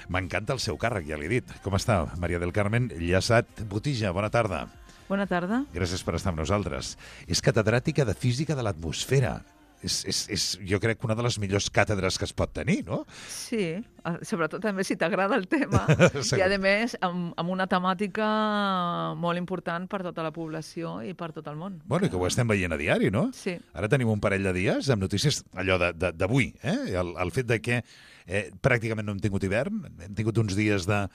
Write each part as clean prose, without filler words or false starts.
M'encanta el seu càrrec, ja l'he dit. Com està, Maria del Carmen Llaçat Botija? Bona tarda. Bona tarda. Gràcies per estar amb nosaltres. És catedràtica de Física de l'Atmosfera. És, jo crec, una de les millors càtedres que es pot tenir, no? Sí, sobretot també si t'agrada el tema. I, a més, amb una temàtica molt important per tota la població i per tot el món. Bueno, i que ho estem veient a diari, no? Sí. Ara tenim un parell de dies amb notícies allò d'avui, el fet de que pràcticament no hem tingut hivern, hem tingut uns dies de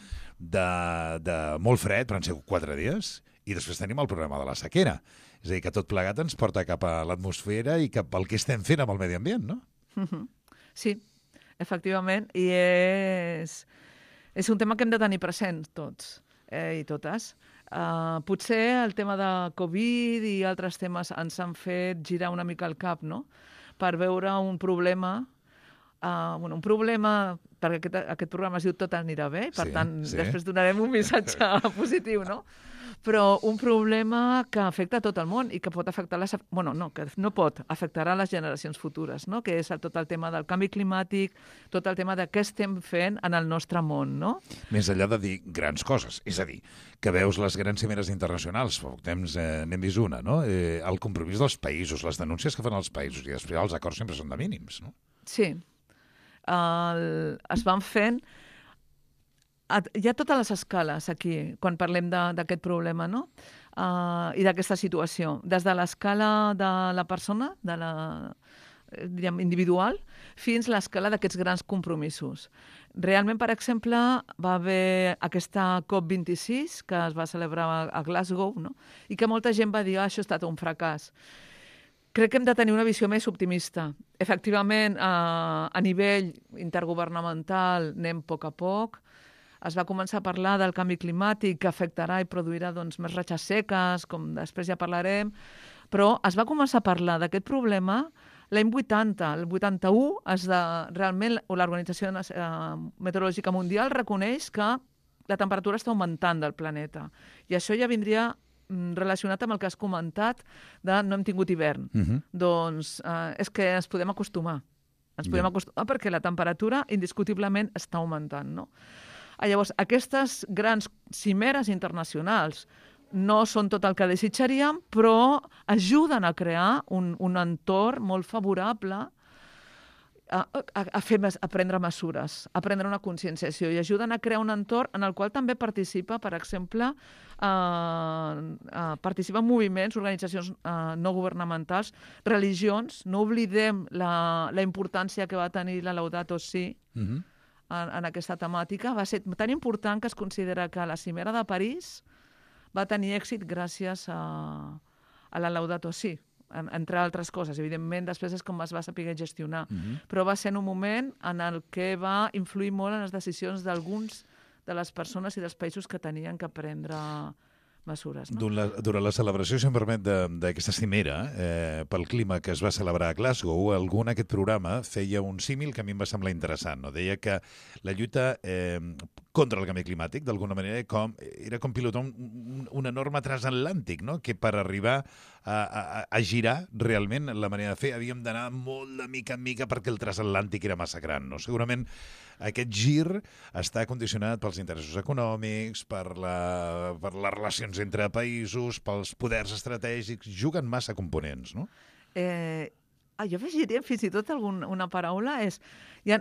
molt fred, però han sigut 4 dies, i després tenim el problema de la sequera. És a dir, que tot plegat ens porta cap a l'atmosfera i cap al que estem fent amb el medi ambient, no? Sí, efectivament, i és un tema que hem de tenir present tots i totes. Potser el tema de Covid i altres temes ens han fet girar una mica el cap, no?, per veure un problema, perquè aquest programa es diu Tot anirà bé, i per tant, després donarem un missatge positiu, no?, però un problema que afecta a tot el món i que pot afectar afectarà les generacions futures, no?, que és tot el tema del canvi climàtic, tot el tema de què estem fent en el nostre món, no? Més enllà de dir grans coses, és a dir, que veus les grans cimeres internacionals, fa poc temps n'hem vist una, no?, el compromís dels països, les denúncies que fan els països, i després els acords sempre són de mínims, no? Sí. Es van fent... Hi ha totes les escales aquí, quan parlem d'aquest problema, no?, i d'aquesta situació. Des de l'escala de la persona, diríem, individual, fins a l'escala d'aquests grans compromisos. Realment, per exemple, va haver aquesta COP26, que es va celebrar a Glasgow, no?, i que molta gent va dir, això ha estat un fracàs. Crec que hem de tenir una visió més optimista. Efectivament, a nivell intergovernamental anem a poc. Es va començar a parlar del canvi climàtic que afectarà i produirà més ratxes seques, com després ja parlarem, però es va començar a parlar d'aquest problema l'any 80. El 81, realment l'Organització Meteorològica Mundial reconeix que la temperatura està augmentant del planeta. I això ja vindria relacionat amb el que has comentat de no hem tingut hivern. Doncs és que ens podem acostumar. Ens podem acostumar perquè la temperatura indiscutiblement està augmentant, no? Llavors, aquestes grans cimeres internacionals no són tot el que desitjaríem, però ajuden a crear un entorn molt favorable a prendre mesures, a prendre una conscienciació, i ajuden a crear un entorn en el qual també participa, per exemple, participen moviments, organitzacions no governamentals, religions. No oblidem la importància que va tenir la Laudato Si, en aquesta temàtica. Va ser tan important que es considera que la cimera de París va tenir èxit gràcies a la Laudato Si, entre altres coses. Evidentment, després és com es va saber gestionar. Però va ser en un moment en el que va influir molt en les decisions d'alguns de les persones i dels països que tenien que prendre mesures, no? Durant la celebració, si em permet, d'aquesta cimera pel clima que es va celebrar a Glasgow, algú en aquest programa feia un símil que a mi em va semblar interessant, no? Deia que la lluita contra el canvi climàtic, d'alguna manera, era com pilotar un enorme transatlàntic, no?, que per arribar a girar realment la manera de fer havíem d'anar molt de mica en mica perquè el transatlàntic era massa gran, no? Segurament aquest gir està condicionat pels interessos econòmics, per les relacions entre països, pels poders estratègics, juguen massa components, no? Jo afegiria fins i tot una paraula,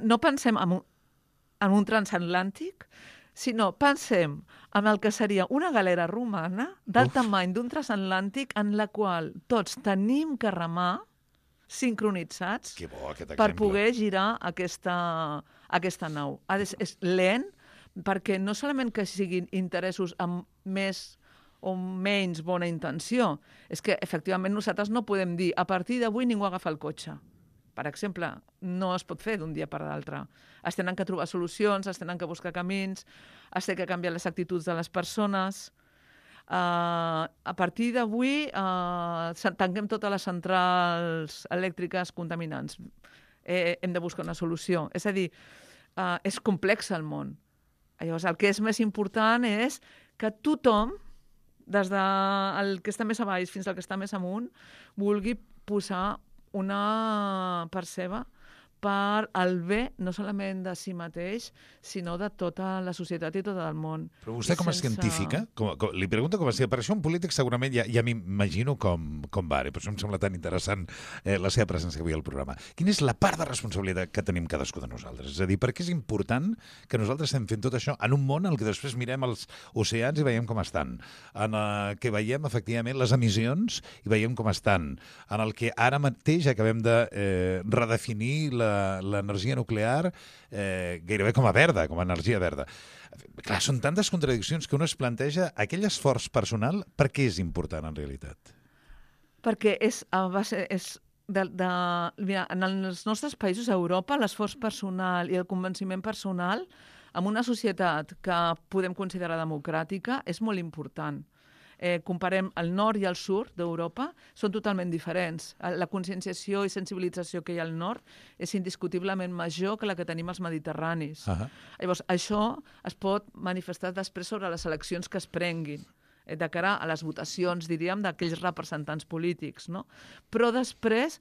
no pensem en un transatlàntic, sinó pensem en el que seria una galera romana del tamany d'un transatlàntic en la qual tots tenim que remar sincronitzats per poder girar aquesta nau. És lent, perquè no solament que siguin interessos amb més o menys bona intenció, és que efectivament nosaltres no podem dir a partir d'avui ningú agafa el cotxe. Per exemple, no es pot fer d'un dia per l'altre. Es tenen que trobar solucions, es tenen que buscar camins, es tenen que canviar les actituds de les persones. A partir d'avui tanquem totes les centrals elèctriques contaminants. Hem de buscar una solució. És a dir, és complex el món. Llavors, el que és més important és que tothom, des del que està més a baix fins al que està més amunt, vulgui posar una part seva per al bé no solament de si mateix, sinó de tota la societat i tot el món. Però vostè com a científica, li pregunto com a científica, per això un polític segurament ja m'imagino com va, per això em sembla tan interessant la seva presència avui al programa. Quina és la part de responsabilitat que tenim cadascú de nosaltres? És a dir, per què és important que nosaltres estem fent tot això en un món en què després mirem els oceans i veiem com estan, en què veiem efectivament les emissions i veiem com estan, en el que ara mateix acabem de redefinir l'energia nuclear gairebé com a verda, com a energia verda. Clar, són tantes contradiccions que uno es planteja aquell esforç personal, per què és important en realitat? Perquè mira, en els nostres països, a Europa, l'esforç personal i el convenciment personal en una societat que podem considerar democràtica és molt important. Comparem el nord i el sud d'Europa, són totalment diferents. La conscienciació i sensibilització que hi ha al nord és indiscutiblement major que la que tenim als mediterranis. Llavors, això es pot manifestar després sobre les eleccions que es prenguin, de cara a les votacions, diríem, d'aquells representants polítics, no? Però després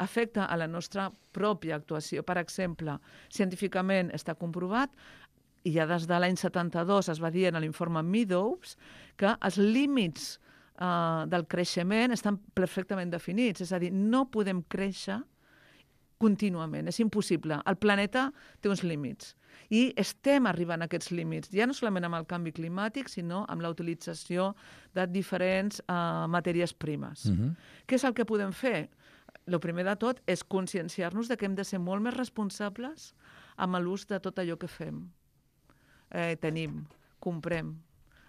afecta a la nostra pròpia actuació. Per exemple, científicament està comprovat, i ja des de l'any 72 es va dir en l'informe Meadows que els límits del creixement estan perfectament definits. És a dir, no podem créixer contínuament, és impossible. El planeta té uns límits i estem arribant a aquests límits, ja no solament amb el canvi climàtic, sinó amb la utilització de diferents matèries primes. Què és el que podem fer? El primer de tot és conscienciar-nos de que hem de ser molt més responsables amb l'ús de tot allò que fem. Tenim, comprem.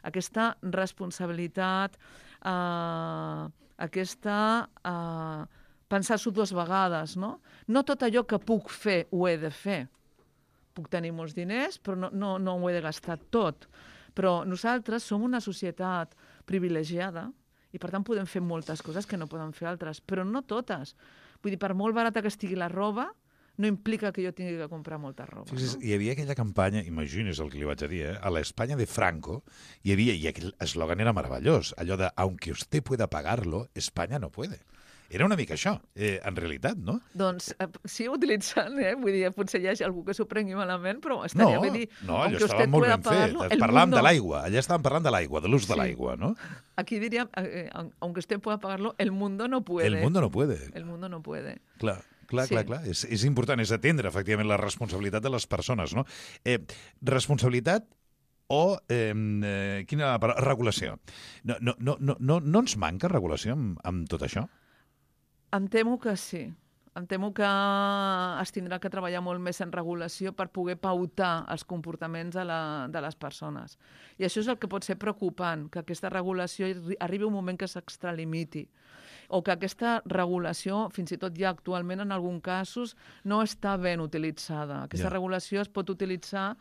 Aquesta responsabilitat, pensar-s'ho dues vegades, no? No tot allò que puc fer ho he de fer. Puc tenir molts diners, però no ho he de gastar tot. Però nosaltres som una societat privilegiada i, per tant, podem fer moltes coses que no poden fer altres, però no totes. Vull dir, per molt barata que estigui la roba, no implica que jo tingui que comprar molta roba. Fixis, hi havia aquella campanya, imagines el que li vaig a dir, a l'Espanya de Franco, i aquell eslògan era meravellós, allò de «aunque usted pueda pagarlo, España no puede». Era una mica això, en realitat, no? Doncs sí, utilitzant, vull dir, potser hi hagi algú que s'ho prengui malament, però estaria bé dir... No, allò estava molt ben fet. Parlàvem de l'aigua, allà estàvem parlant de l'aigua, de l'ús de l'aigua, no? Aquí diríem, aunque usted pueda pagarlo, el mundo no puede. El mundo no puede. El mundo no puede. Clar. Clar. És important, és atendre, efectivament, la responsabilitat de les persones, no? Responsabilitat o quina regulació? No ens manca regulació amb tot això? Em temo que sí. Em temo que es tindrà que treballar molt més en regulació per poder pautar els comportaments de les persones. I això és el que pot ser preocupant, que aquesta regulació arribi un moment que s'extralimiti, o que aquesta regulació, fins i tot ja actualment en alguns casos, no està ben utilitzada. Aquesta regulació es pot utilitzar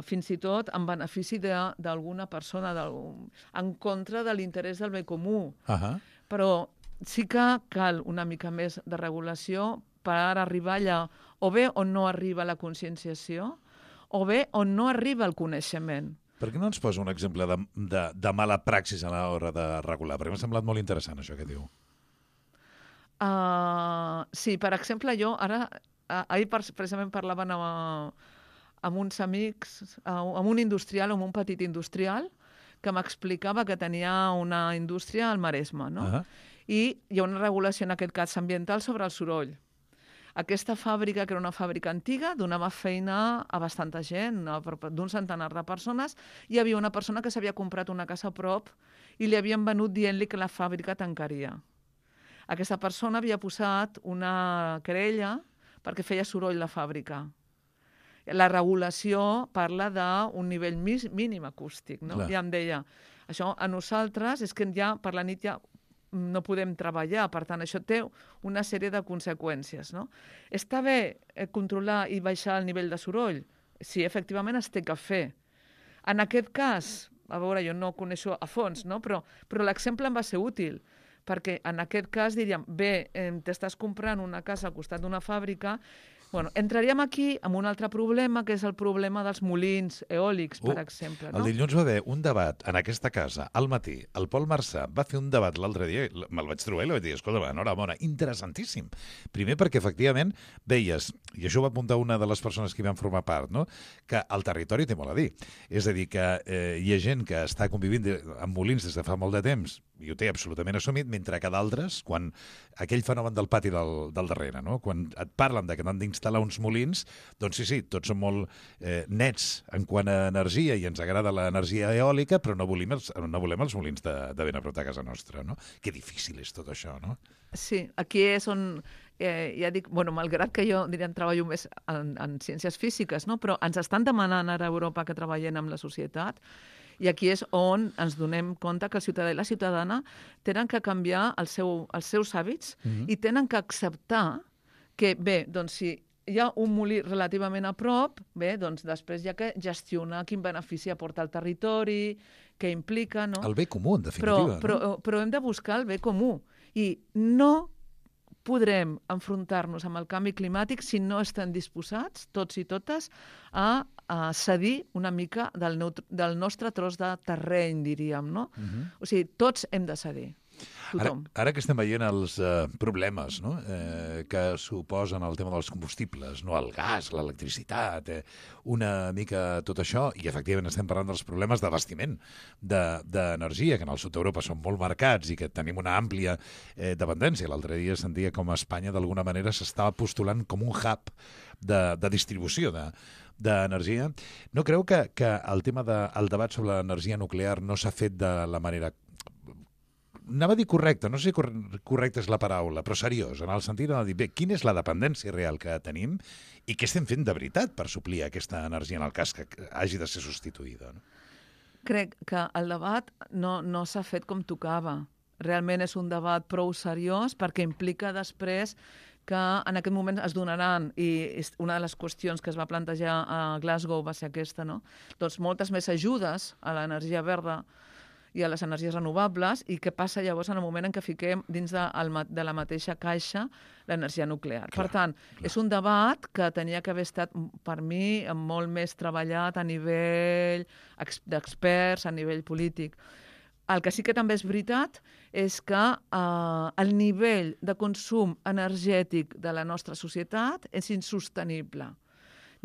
fins i tot en benefici d'alguna persona, en contra de l'interès del bé comú. Però sí que cal una mica més de regulació per arribar allà, o bé on no arriba la conscienciació, o bé on no arriba el coneixement. Per què no ens posa un exemple de mala praxis a l'hora de regular? Perquè m'ha semblat molt interessant això que diu. Sí, per exemple, jo ahir precisament parlaven amb uns amics, amb un industrial, amb un petit industrial, que m'explicava que tenia una indústria al Maresme, no? I hi ha una regulació, en aquest cas ambiental, sobre el soroll. Aquesta fàbrica, que era una fàbrica antiga, donava feina a bastanta gent, d'un centenar de persones. Hi havia una persona que s'havia comprat una casa a prop i li havien venut dient-li que la fàbrica tancaria. Aquesta persona havia posat una querella perquè feia soroll la fàbrica. La regulació parla d'un nivell mínim acústic, no? Ja em deia, això a nosaltres és que ja per la nit ja no podem treballar, per tant, això té una sèrie de conseqüències, no? Està bé controlar i baixar el nivell de soroll? Sí, efectivament es té que fer. En aquest cas, a veure, jo no ho coneixo a fons, no? Però l'exemple em va ser útil, perquè en aquest cas diríem, bé, t'estàs comprant una casa al costat d'una fàbrica, Bueno, entraríem aquí amb un altre problema, que és el problema dels molins eòlics, per exemple. No? El dilluns va haver un debat en aquesta casa, al matí. El Pol Marçà va fer un debat l'altre dia, me'l vaig trobar i li vaig dir, escolta, enhorabona, interessantíssim. Primer perquè, efectivament, veies, i això ho va apuntar una de les persones que hi van formar part, no? Que el territori té molt a dir. És a dir, que hi ha gent que està convivint amb molins des de fa molt de temps, i ho té absolutament assumit, mentre que d'altres, quan aquell fenomen del pati del darrere, no? Quan et parlen que n'han d'instal·lar uns molins, doncs sí, tots són molt nets en quant a energia i ens agrada l'energia eòlica, però no volem els molins de ben a prop de casa nostra, no? Que difícil és tot això, no? Sí, aquí és on, ja dic, bueno, malgrat que jo, diríem, treballo més en ciències físiques, no? Però ens estan demanant ara a Europa que treballem amb la societat. I aquí és on ens donem compte que el ciutadà i la ciutadana tenen que canviar els seus hàbits i tenen que acceptar que, bé, doncs si hi ha un molí relativament a prop, bé, doncs després hi ha que gestionar quin benefici aporta al territori, què implica, no? El bé comú, en definitiva. Però hem de buscar el bé comú. I no podrem enfrontar-nos amb el canvi climàtic si no estem disposats, tots i totes, a cedir una mica del nostre tros de terreny, diríem, no? O sigui, tots hem de cedir. Ara que estem veient els problemes, no? Que suposen el tema dels combustibles, no? El gas, l'electricitat, una mica tot això, i efectivament estem parlant dels problemes d'abastiment d'energia, que en el sud d'Europa són molt marcats i que tenim una àmplia dependència. L'altre dia sentia com a Espanya d'alguna manera s'estava postulant com un hub de distribució d'energia. No creu que el tema del debat sobre l'energia nuclear no s'ha fet de la manera, anava a dir correcte, no sé si correcta és la paraula, però seriós, en el sentit de dir, bé, quina és la dependència real que tenim i què estem fent de veritat per suplir aquesta energia en el cas que hagi de ser substituïda, no? Crec que el debat no s'ha fet com tocava. Realment és un debat prou seriós perquè implica després que en aquest moment es donaran, i una de les qüestions que es va plantejar a Glasgow va ser aquesta, no? Doncs moltes més ajudes a l'energia verda i a les energies renovables, i què passa llavors en el moment en què fiquem dins de la mateixa caixa l'energia nuclear. Per tant, és un debat que tenia que haver estat, per mi, molt més treballat a nivell d'experts, a nivell polític. El que sí que també és veritat és que el nivell de consum energètic de la nostra societat és insostenible.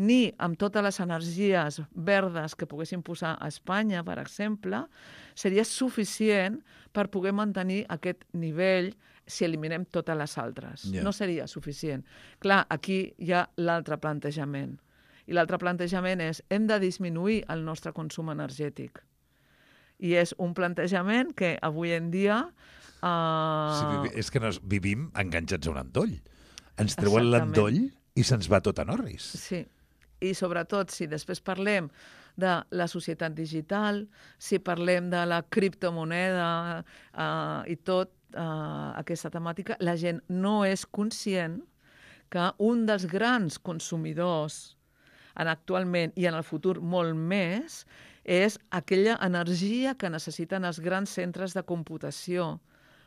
Ni amb totes les energies verdes que poguéssim posar a Espanya, per exemple, seria suficient per poder mantenir aquest nivell si eliminem totes les altres. Yeah. No seria suficient. Clar, aquí hi ha l'altre plantejament. I l'altre plantejament és hem de disminuir el nostre consum energètic. I és un plantejament que avui en dia... Sí, és que vivim enganxats a un endoll. Ens treuen l'endoll i se'ns va tot en orris. Sí. I sobretot, si després parlem de la societat digital, si parlem de la criptomoneda i tot aquesta temàtica, la gent no és conscient que un dels grans consumidors actualment i en el futur molt més és aquella energia que necessiten els grans centres de computació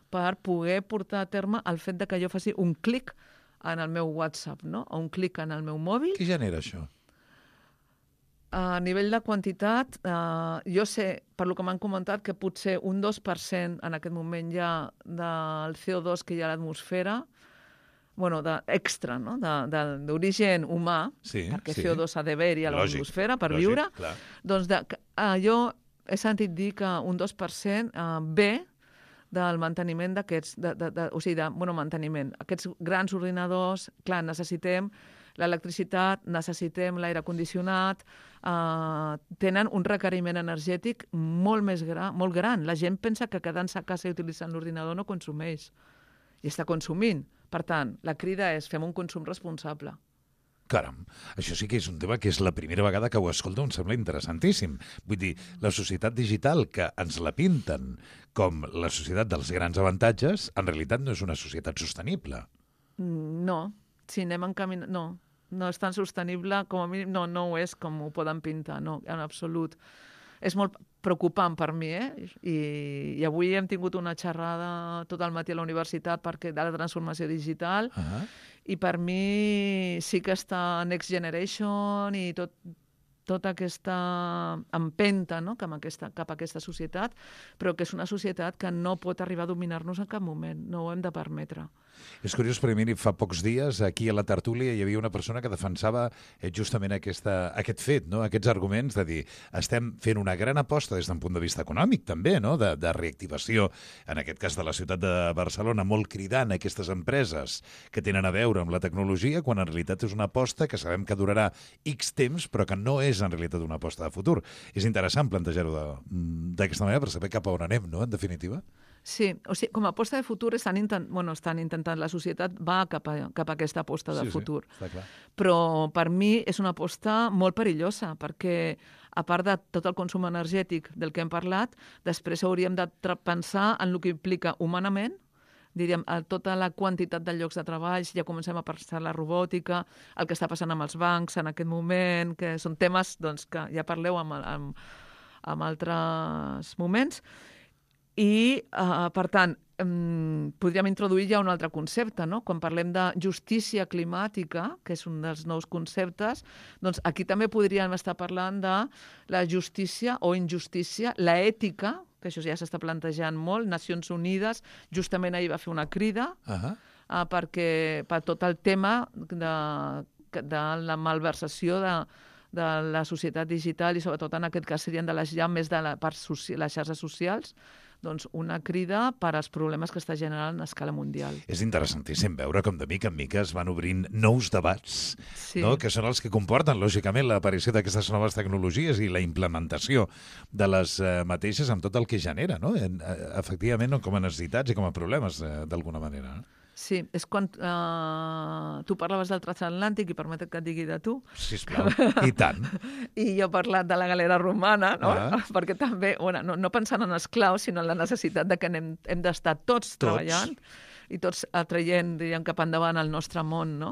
per poder portar a terme el fet de que jo faci un clic en el meu WhatsApp, no? O un clic en el meu mòbil. Què genera això? A nivell de quantitat, jo sé, per lo que m'han comentat, que potser un 2% en aquest moment ja del CO2 que hi ha a l'atmosfera, bueno, extra, no? D'origen humà, sí, perquè CO2 s'ha d'haver-hi a l'atmosfera per viure, clar. Doncs jo he sentit dir que un 2% ve del manteniment d'aquests, manteniment. Aquests grans ordinadors, clar, necessitem l'electricitat, necessitem l'aire condicionat, tenen un requeriment energètic molt més molt gran. La gent pensa que quedant-se a casa i utilitzant l'ordinador no consumeix, i està consumint. Per tant, la crida és fem un consum responsable. Caram, això sí que és un tema que és la primera vegada que ho escolto, em sembla interessantíssim. Vull dir, la societat digital, que ens la pinten com la societat dels grans avantatges, en realitat no és una societat sostenible. No, si anem encaminant... No és tan sostenible, com a mínim, no ho és com ho poden pintar, no, en absolut. és molt preocupant per mi, I avui hem tingut una xerrada tot el matí a la universitat de la transformació digital, i per mi sí que està Next Generation i tota aquesta empenta, no?, cap a aquesta societat, però que és una societat que no pot arribar a dominar-nos en cap moment. No ho hem de permetre. És curiós, perquè miri, fa pocs dies aquí a la tertúlia hi havia una persona que defensava justament aquest fet, no?, aquests arguments de dir estem fent una gran aposta des d'un punt de vista econòmic també, no?, de reactivació, en aquest cas de la ciutat de Barcelona, molt cridant a aquestes empreses que tenen a veure amb la tecnologia, quan en realitat és una aposta que sabem que durarà X temps, però que no és en realitat una aposta de futur. És interessant plantejar-ho d'aquesta manera per saber cap a on anem, no?, en definitiva. Sí, o sigui, com a aposta de futur estan intentant, la societat va cap a aquesta aposta de futur. Està clar. Però per mi és una aposta molt perillosa, perquè a part de tot el consum energètic del que hem parlat, després hauríem de pensar en el que implica humanament, diríem, tota la quantitat de llocs de treball, ja comencem a pensar la robòtica, el que està passant amb els bancs en aquest moment, que són temes que ja parleu en altres moments. I, per tant, podríem introduir ja un altre concepte, no? Quan parlem de justícia climàtica, que és un dels nous conceptes, doncs aquí també podríem estar parlant de la justícia o injustícia, l'ètica, que això ja s'està plantejant molt. Nacions Unides justament ahir va fer una crida per tot el tema de la malversació de la societat digital, i sobretot en aquest cas serien més de les xarxes socials, doncs una crida per als problemes que està generant a escala mundial. És interessantíssim veure com de mica en mica es van obrint nous debats, no? Que són els que comporten, lògicament, l'aparició d'aquestes noves tecnologies i la implementació de les mateixes amb tot el que genera, no? Efectivament, com a necessitats i com a problemes, d'alguna manera, no? Sí, és quan tu parlaves del transatlàntic, i permetet que et digui de tu. Sisplau, i tant. I jo he parlat de la galera romana, no? Perquè també, no pensant en esclaus, sinó en la necessitat de que hem d'estar tots treballant i tots traient, diríem, cap endavant el nostre món, no?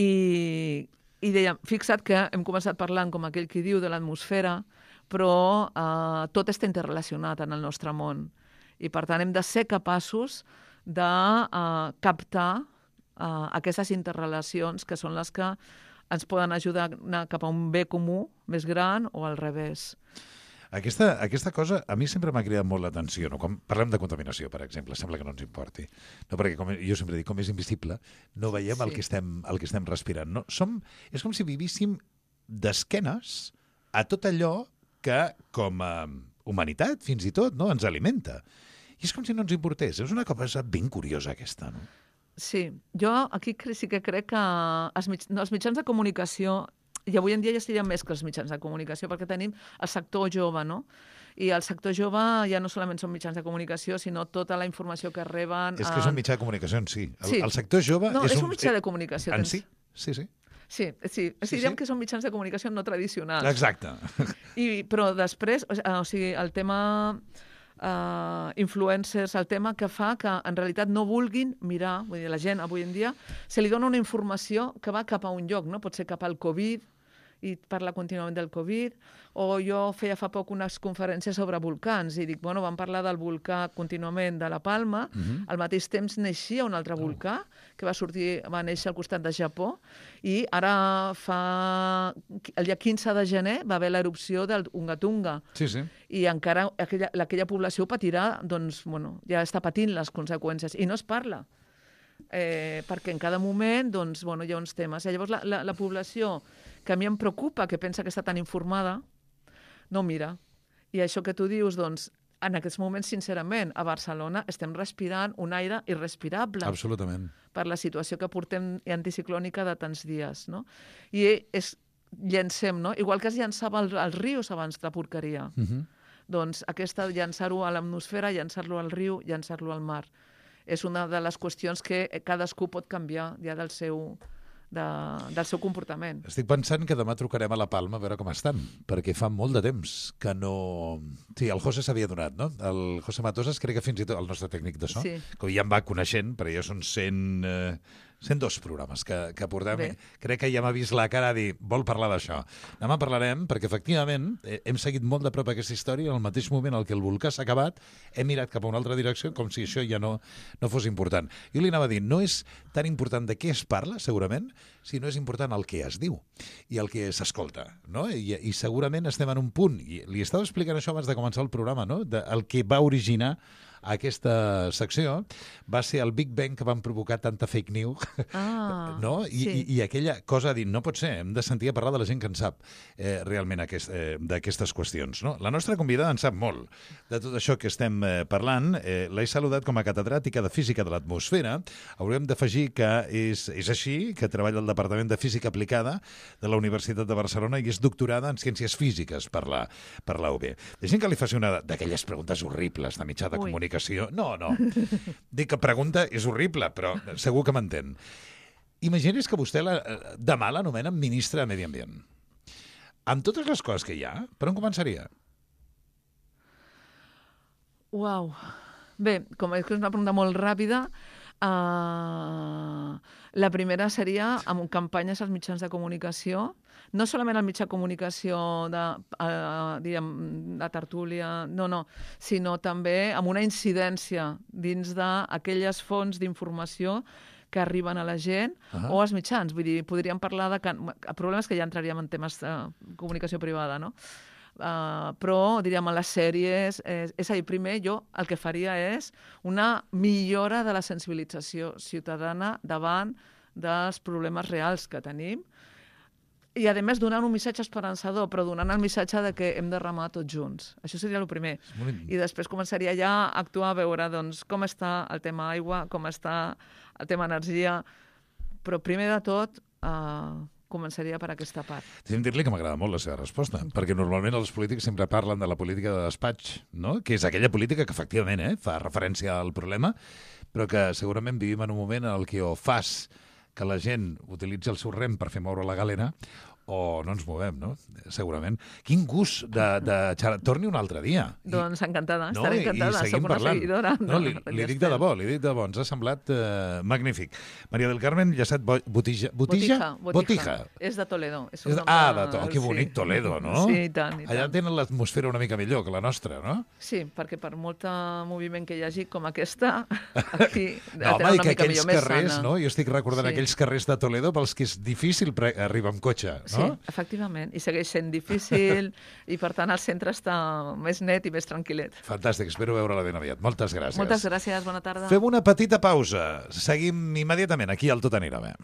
I dèiem, fixa't que hem començat parlant, com aquell qui diu, de l'atmosfera, però tot està interrelacionat en el nostre món. I, per tant, hem de ser capaços de captar aquestes interrelacions que són les que ens poden ajudar a anar cap a un bé comú més gran o al revés. Aquesta cosa a mi sempre m'ha cridat molt l'atenció, no? Quan parlem de contaminació, per exemple, sembla que no ens importi. No, perquè jo sempre dic, com és invisible, no veiem el que estem respirant. No? És com si vivíssim d'esquenes a tot allò que, com a humanitat, fins i tot, no, ens alimenta. I és com si no ens importés. És una cosa ben curiosa, aquesta, no? Sí. Jo aquí sí que crec que els mitjans de comunicació, i avui en dia ja serien més que els mitjans de comunicació, perquè tenim el sector jove, no? I el sector jove ja no solament són mitjans de comunicació, sinó tota la informació que reben... És que és un mitjà de comunicació en si. El sector jove... No, és un mitjà de comunicació. En si? Sí. Sí. Direm que són mitjans de comunicació no tradicionals. Exacte. Però després, o sigui, el tema... influencers, el tema que fa que en realitat no vulguin mirar, vull dir, la gent avui en dia se li dona una informació que va cap a un lloc, no? Pot ser cap al Covid, i parla contínuament del Covid, o jo feia fa poc unes conferències sobre volcans i dic, vam parlar del volcà contínuament de la Palma, al mateix temps naixia un altre volcà que va néixer al costat de Japó, i ara el dia 15 de gener va haver l'erupció del Unga Tunga. Sí. I encara aquella població patirà, doncs, ja està patint les conseqüències, i no es parla. Perquè en cada moment doncs, hi ha uns temes. I llavors la població que a mi em preocupa, que pensa que està tan informada, no mira. I això que tu dius, doncs, en aquests moments, sincerament, a Barcelona estem respirant un aire irrespirable. Absolutament. Per la situació que portem anticiclònica de tants dies, no? I llancem, no? Igual que es llançava als rius abans de porqueria. Doncs llançar-ho a l'atmosfera, llançar-lo al riu, llançar-lo al mar. És una de les qüestions que cadascú pot canviar ja del seu comportament. Estic pensant que demà trucarem a la Palma a veure com estan, perquè fa molt de temps que no... Sí, el José s'havia donat, no? El José Matosas, crec que fins i tot el nostre tècnic de so, que ja em va coneixent, però ja són 100 102 programes que portem. Bé. Crec que ja m'ha vist la cara a dir, vol parlar d'això. Demà parlarem, perquè efectivament hem seguit molt de prop aquesta història, al mateix moment en què el volcà s'ha acabat, hem mirat cap a una altra direcció, com si això ja no fos important. Jo li anava a dir, no és tan important de què es parla, segurament, sinó és important el que es diu i el que s'escolta, no? I segurament estem en un punt, i li estava explicant això abans de començar el programa, no? El que va originar aquesta secció va ser el Big Bang que van provocar tanta fake news, no? I aquella cosa de dir, no pot ser, hem de sentir a parlar de la gent que en sap realment d'aquestes qüestions, no? La nostra convidada en sap molt de tot això que estem parlant. L'he saludat com a catedràtica de Física de l'Atmosfera. Haurem d'afegir que és així, que treballa al Departament de Física Aplicada de la Universitat de Barcelona i és doctorada en Ciències Físiques per la UB. Deixem que li faci una d'aquelles preguntes horribles de mitjà de comunicació. No. Dic que pregunta és horrible, però segur que m'entén. Imagini's que vostè demà l'anomenen ministre de Medi Ambient. Amb totes les coses que hi ha, per on començaria? Uau. Bé, com és que és una pregunta molt ràpida, la primera seria amb campanyes als mitjans de comunicació, no solament al mitjà de comunicació de tertúlia, no, sinó també amb una incidència dins d'aquelles fonts d'informació que arriben a la gent o als mitjans. Vull dir, podríem parlar de... El problema és que ja entraríem en temes de comunicació privada, no? Però, diríem, a les sèries... És a dir, primer jo el que faria és una millora de la sensibilització ciutadana davant dels problemes reals que tenim i, a més, donant un missatge esperançador, però donant el missatge de que hem de remar tots junts. Això seria el primer. I després començaria ja a actuar, a veure doncs, com està el tema aigua, com està el tema energia, però primer de tot començaria per aquesta part. Deixa'm dir-li que m'agrada molt la seva resposta, perquè normalment els polítics sempre parlen de la política de despatx, no? Que és aquella política que efectivament fa referència al problema, però que segurament vivim en un moment en què o fas que la gent utilitzi el seu rem per fer moure la galera o no ens movem, no? Segurament. Quin gust de xerrar. Torni un altre dia. Doncs encantada, estaré encantada. I seguim parlant. No, li dic de debò, ens ha semblat magnífic. Maria del Carmen Llacet Botija. És de Toledo. Que bonic Toledo, no? Sí, i tant. Allà tenen l'atmosfera una mica millor que la nostra, no? Sí, perquè per molt moviment que hi hagi com aquesta, aquí no, home, i que aquells carrers, no? Jo estic recordant aquells carrers de Toledo pels que és difícil arribar amb cotxe, no? Sí, efectivament, i segueix sent difícil i per tant el centre està més net i més tranquil·let. Fantàstic, espero veure-la ben aviat. Moltes gràcies. Moltes gràcies, bona tarda. Fem una petita pausa. Seguim immediatament aquí al Tot anirà bé.